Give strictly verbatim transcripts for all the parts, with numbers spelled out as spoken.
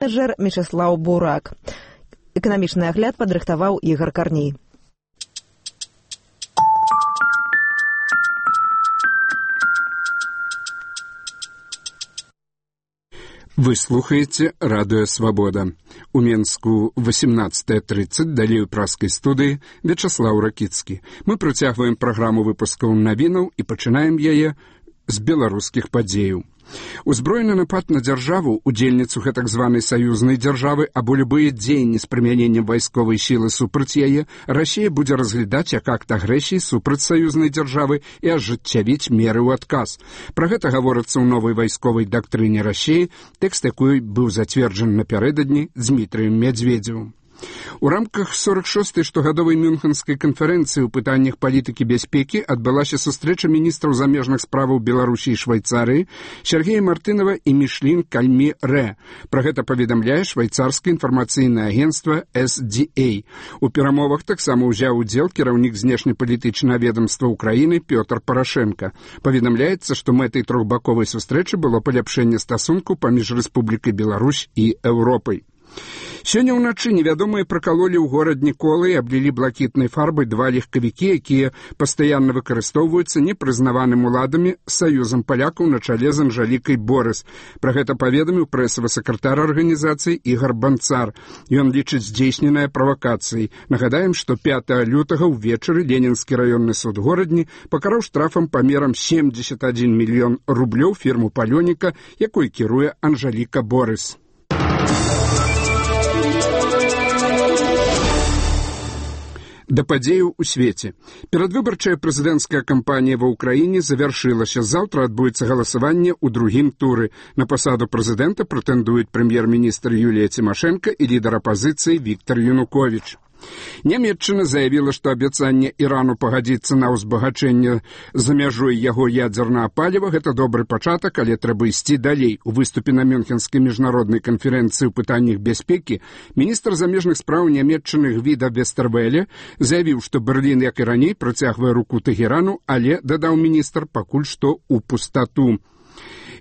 менеджер Мечыслаў Бурак. Эканамічны агляд падрыхтаваў Ігар Карней. Вы слухаете Радио Свобода. У Менску восемнадцатая тридцать, далей у праскай студыі Вячаслаў Ракіцкі. Мы працягваем праграму выпускаў навінаў і пачынаем яе з беларускіх падзеяў. Узброены напад на дзяржаву, удзельніцу гэтак званай саюзнай дзяржавы або любыя дзеянні з прымяненнем вайсковай сілы супраць яе, Расія будзе разглядаць як акт агрэсіі супраць саюзнай дзяржавы і ажыццявіць меры ў адказ. Пра гэта гаворыцца ў новай вайсковай дактрыне Расіі, тэкст якой быў зацверджаны напярэдадні Дзмітрыем Мядзведзевым. У рамках сорок шостай штогадовай мюнхенскай канферэнцыі ў пытаннях палітыкі бяспекі адбылася сустрэча міністраў замежных справаў Беларусі і Швайцарыі Сергея Мартынова і Мішлін Кальмі Рэ. Пра гэта паведамляе швайцарскае інфармацыйнае агенцтва эс ді эй. У перамовах таксама ўзяў удзел кіраўнік знешнепалітычнага ведамства ўкраіны Пётр Парашенка. Паведамляецца, што мэтай трохбаковай сустрэчы было паляпшэнне стасункаў паміж Рэспублікай Беларусь і Еўропай. Сёння ўначы невядомыя пракалолі ў горадні колы і аблілі блакітнай фарбай два легкавікі, якія пастаянна выкарыстоўваюцца непрызнаваным уладамі саюзам палякаў на чале з Анжалікай Борыс. Пра гэта паведаміў прэсавы сакратар арганізацыі Ігар Банцар. Ён лічыць здзейсненае правакацыяй. Нагадаем, што пятага лютага ўвечары Ленінскі раённы суд горадні пакараў штрафам памерам семьдесят один мільён рублёў фірму палёніка, якой кіруе Анжаліка Борыс. Да падзеяў у свеце. Перадвыбарчая прэзідэнцкая кампанія ва ўкраіне завяршылася. Заўтра адбудзецца галасаванне ў другім туры. На пасаду прэзідэнта прэтэндуюць прэм'ер-міністр Юлія Цімашэнка і лідар апазіцыі Віктар Януковіч. Нямецчына заявіла, што абяцанне Ірану пагадзіцца на ўзбагачэнне за мяжой яго ядзернага паліва – гэта добры пачатак, але трэба ісці далей. У выступе на Мюнхенскай міжнароднай канферэнцыі ў пытаннях бяспекі міністр замежных спраў Нямецчыны Гвіда Вестервеле заявіў, што Берлін, як і раней, працягвае руку Тэгерану, але, дадаў міністр, пакуль што ў пустату.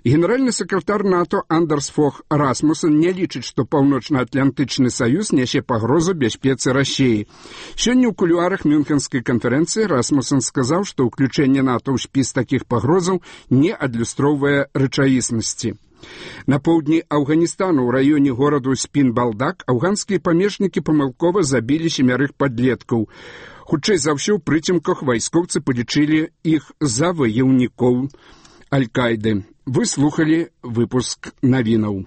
Генеральны сакратар НАТО Андерс Фог Расмуссен не лічыць, што Паўночна-Атлантычны саюз нясе пагрозу бяспецы Расіі. Сёння ў кулуарах Мюнхенскай канферэнцыі Расмуссен сказаў, што ўключэнне НАТО ў спіс такіх пагрозаў не адлюстроўвае рэчаіснасці. На поўдні Афганістану ў раёне гораду Спін-Балдак афганскія памежнікі памылкова забілі семярых падлеткаў. Хутчэй за ўсё ў прыцемках вайскоўцы палічылі іх за ваяўнікоў Аль-Кайды. Вы слухали выпуск навінаў.